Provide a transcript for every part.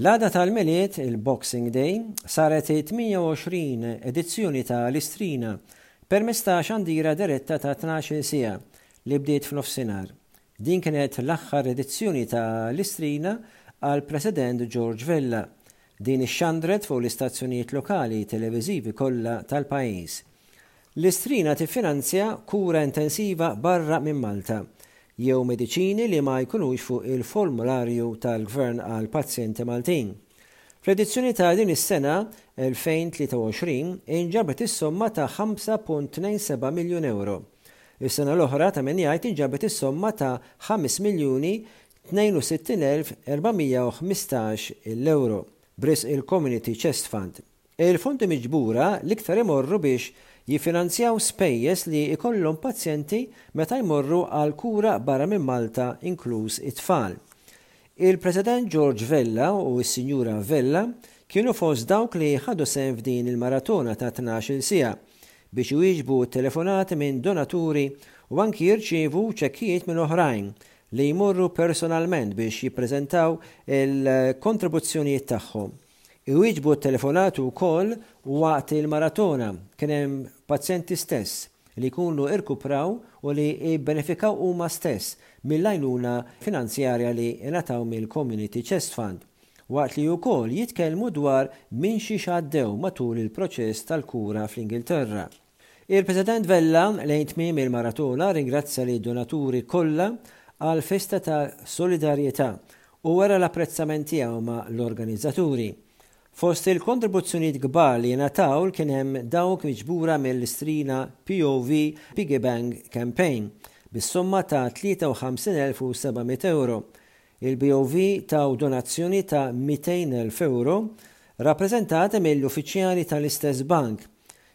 L-għada tal-Milied, il-Boxing Day, saret it-28 edizzjoni ta' l-Istrina permezz ta' xandira diretta ta' 12-il siegħa li bdiet f'nofsinhar. Din kienet l-aħħar edizzjoni ta' l-Istrina għall-President George Vella. Din ixxandret fuq l-istazzjonijiet lokali televiżivi kollha tal-pajjiż. L-Istrina tiffinanzja kura intensiva barra minn Malta, jew mediċini li ma jkunux fuq il-formularju tal-Gvern għal pazjenti Maltin. Fl-edizzjoni ta' din is-sena, 2023, inġabret is-somma ta' 5.27 miljun ewro. Is-sena l-oħra, ta' min jgħid, inġabret is-somma ta' 5,062,415 il-ewro b'risq il-Community Chest Fund. Il-fondi miġbura l-iktar imorru biex jiffinanzjaw spejjeż li jkollhom pazjenti meta jmorru għal kura barra minn Malta inkluż it-tfal. Il-President George Vella u s-Sinjura Vella kienu fost dawk li ħadu sehem f'din il-maratona ta' 12-il siegħa biex iwieġbu t-telefonati minn donaturi u anki jirċievu ċekkijiet minn oħrajn li jmorru personalment biex jippreżentaw il-kontribuzzjonijiet tagħhom. Iwieġbu t-telefonati wkoll waqt il-maratona. Kien hemm pazjenti stess li jkunu irkupraw u li ibbenefikaw huma stess mill-għajnuna finanzjarja li ingħataw mill-Community Chest Fund, waqt li wkoll jitkellmu dwar minn xiex għaddew matul il-proċess tal-kura fl-Ingilterra. Il-President Vella, lejn tmiem il-maratona, rringrazzja lid-donaturi kollha għall-festa ta' solidarjetà u wera l-apprezzament tiegħu ma' l-organizzaturi. Fost il-kontribuzzjonijiet kbar li ngħataw kien hemm dawk miġbura mill-Istrina POV Piggy Bank Campaign bis-somma ta' 53,700 ewro Il-BOV taw donazzjoni ta' 200,000 ewro rappreżentati mill-uffiċjali tal-istess bank,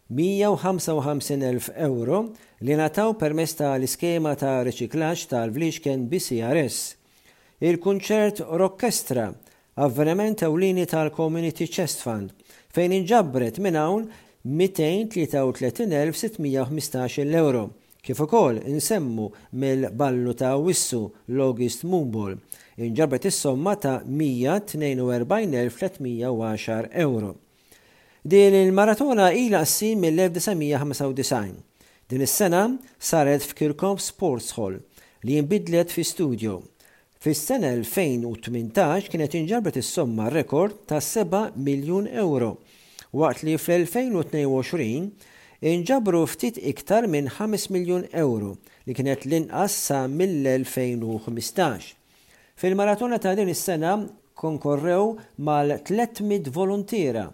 155,000 ewro li ngħataw permezz ta' l-iskema ta' riċiklaġġ tal-Vliexken BCRS. Il-kunċert Rockestra, avveniment ewlieni tal-Community Chest Fund, fejn inġabret minn hawn 233,615-il ewro, Kif ukoll insemmu mill-ballu ta' Awwissu, l-August Moonball, inġabret is-somma ta' 142,310 ewro. Din il-maratona ilha ssir mill-1995. Din is-sena saret f'Kirkop Sports Hall li inbidlet fi studio. Fis-sena 2018 kienet inġabret is-somma rekord ta' seba' miljun ewro, waqt li fl-2022 inġabru ftit iktar minn ħames miljun ewro li kienet l-inqas sa mill-2015. Fil-maratona ta' din is-sena kkonkorrew mal-300 voluntiera.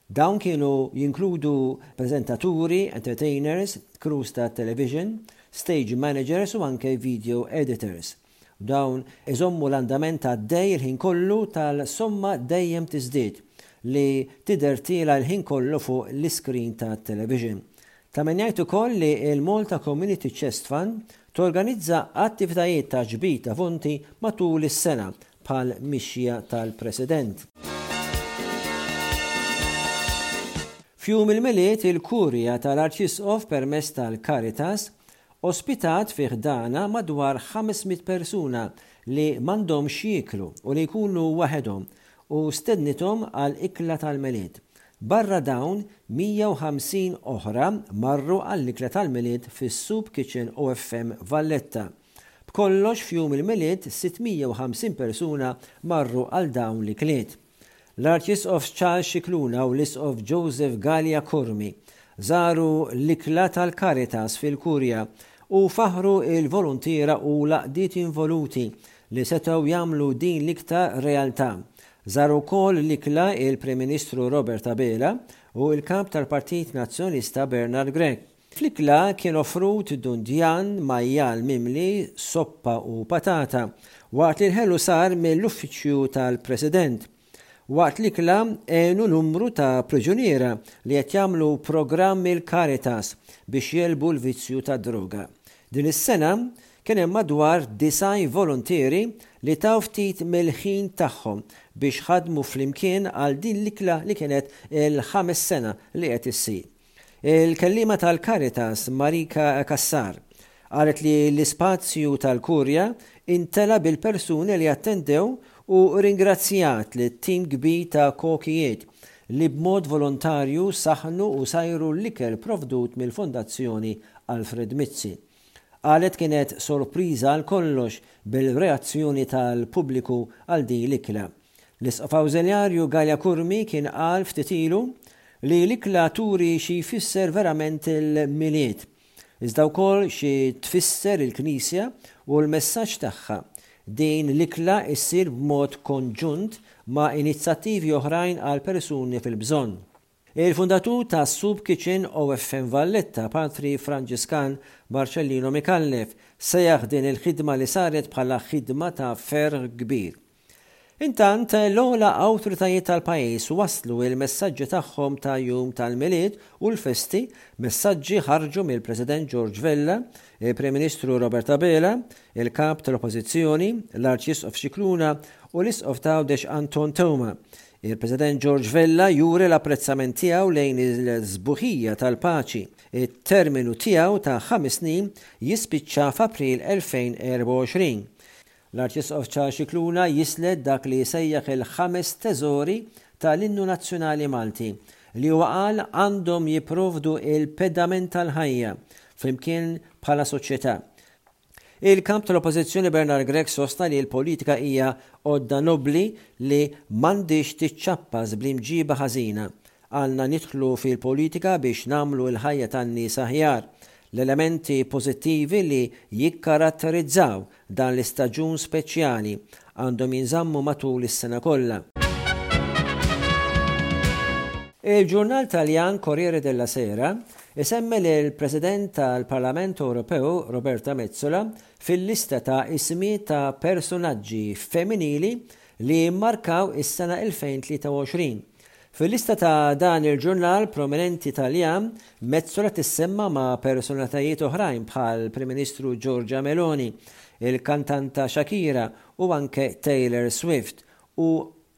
Dawn kienu jinkludu preżentaturi, entertainers, crews tat-television, stage managers u anke video editors. Dawn iżommu l-andament għaddej il-ħin kollu tal-somma dejjem tiżdied li tidher tiela' l-ħin kollu fuq l-iskrin tat-television. Ta' min jgħid ukoll li l-Malta Community Chest Fund torganizza attivitajiet ta' ġbid ta' fonti matul is-sena bħal mixja tal-President. F'Jum il-Milied il-Kurja tal-Arċisqof permezz tal-Caritas Ospitat fi ħdanha madwar 500 persuna li m'għandhomx x'jieklu u li jkunu waħedhom u stednithom għal ikla tal-Milied. Barra dawn, 150 oħra marru għall-ikla tal-Milied fis-Soup Kitchen OFM Valletta. B'kollox f'Jum il-Milied 650 persuna marru għal dawn l-ikliet. L-Arċisqof Charles Scicluna u l-Isqof Joseph Galea Curmi żaru l-ikla tal-Caritas fil-Kurja u faħħru l-voluntiera u l-għaqdiet involuti li setgħu jagħmlu din l-ikta realtà. Żaru wkoll l-ikla il-Prim Ministru Robert Abela u l-Kap tal-Partit Nazzjonalista Bernard Grech. Fl-ikla kien offrut dundjan, majjal mimli, soppa u patata, waqt li l-ħelu sar mill-Uffiċċju tal-President. Waqt l-ikla għenu numru ta' priġuniera li qed jagħmlu programm mill-Caritas biex jegħlbu l-vizzju tad-droga. Din is-sena kien hemm madwar 90 voluntieri li taw ftit mill-ħin tagħhom biex ħadmu flimkien għal din l-ikla li kienet il-ħames sena li qed issir. Il-kelliema tal-Caritas Marika Cassar qalet li l-ispazju tal-Kurja intela bil-persuni li attendew u rringrazzjat lit-tim kbir ta' kokijiet li b'mod volontarju saħħnu u sajru l-ikel provdut mill-Fondazzjoni Alfred Mizzi. Qalet kienet sorpriża għal kollox bil-reazzjoni tal-pubbliku għal din l-ikla. L-Isqof Awżiljarju Galea Curmi kien qal ftit ilu li l-ikla turi xi jfisser verament il-Milied, iżda wkoll xi tfisser il-Knisja u l-messaġġ tagħha. Din l-ikla issir b'mod konġunt ma' inizattivi oħrajn għal persuni fil-bżonn. Il-fundatur ta' Soup Kitchen OFM Valletta, Patri Franġiskan Marcellino Micallef, sejjaħ din il-ħidma li saret bħala ħidma ta' ferħ kbir. Intant, l-ogħla awtoritajiet tal-pajjiż wasslu l-messaġġi tagħhom ta' Jum tal-Milied u l-festi, messaġġi ħarġu mill-President George Vella, il-Prim Ministru Robert Abela, il-Kap tal-Oppożizzjoni, l-Arċisqof Scicluna u l-Isqof t'Għawdex Anton Teuma. Il-President George Vella juri l-apprezzament tiegħu lejn il-sbuħija tal-paċi. It-terminu tiegħu ta' ħames snin jispiċċa f'April 2024. L-Arċisqof Charles Scicluna jislet dak li jsejjaħ il-ħames teżori tal-Innu Nazzjonali Malti, li huwa qal għandhom jipprovdu l-pedament tal-ħajja flimkien bħala soċjetà. Il-Kap tal-Oppożizzjoni Bernard Grech sostna li l-politika hija għodda nobbli li m'għandhiex tiċċappas bl-imġiba ħażina. Għandna nidħlu fil-politika biex nagħmlu l-ħajja tan-nies aħjar. L-elementi pożittivi li jikkaratterizzaw dan l-istaġun speċjali għandhom jinżammu matul is-sena kollha. Il-ġurnal Taljan Corriere della Sera isemmi lill-President tal-Parlament Ewropew Roberta Metsola fil-lista ta' ismijiet ta' persunaġġi femminili li mmarkaw is-sena 2023. Fil-lista ta' dan il-ġurnal prominenti Taljan, Metsola tissemma ma' personalitajiet oħrajn bħall-Prim Ministru Giorgia Meloni, il-kantanta Shakira u anke Taylor Swift u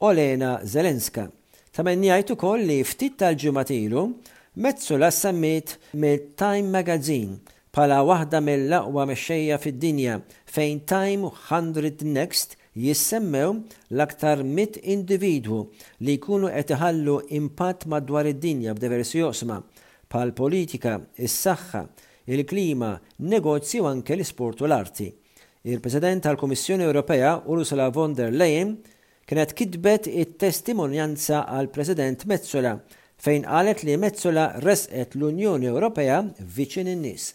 Olena Zelenska. Ta' min jgħid ukoll li ftit tal-ġimgħat ilu, Metsola ssemmiet mill-Time Magazine bħala waħda mill-aqwa mexxejja fid-dinja fejn Time 100 Next jissemmew l-aktar 100 individwu li jkunu qed iħallu impatt madwar id-dinja f'diversi oqsma, bħall-politika, is-saħħa, il-klima, negozji u anke l-isport u l-arti. Il-President tal-Kummissjoni Ewropea Ursula von der Leyen kienet kitbet it-testimonjanza għall-President Metsola fejn qalet li Metsola ressqet l-Unjoni Ewropea viċin in-nies.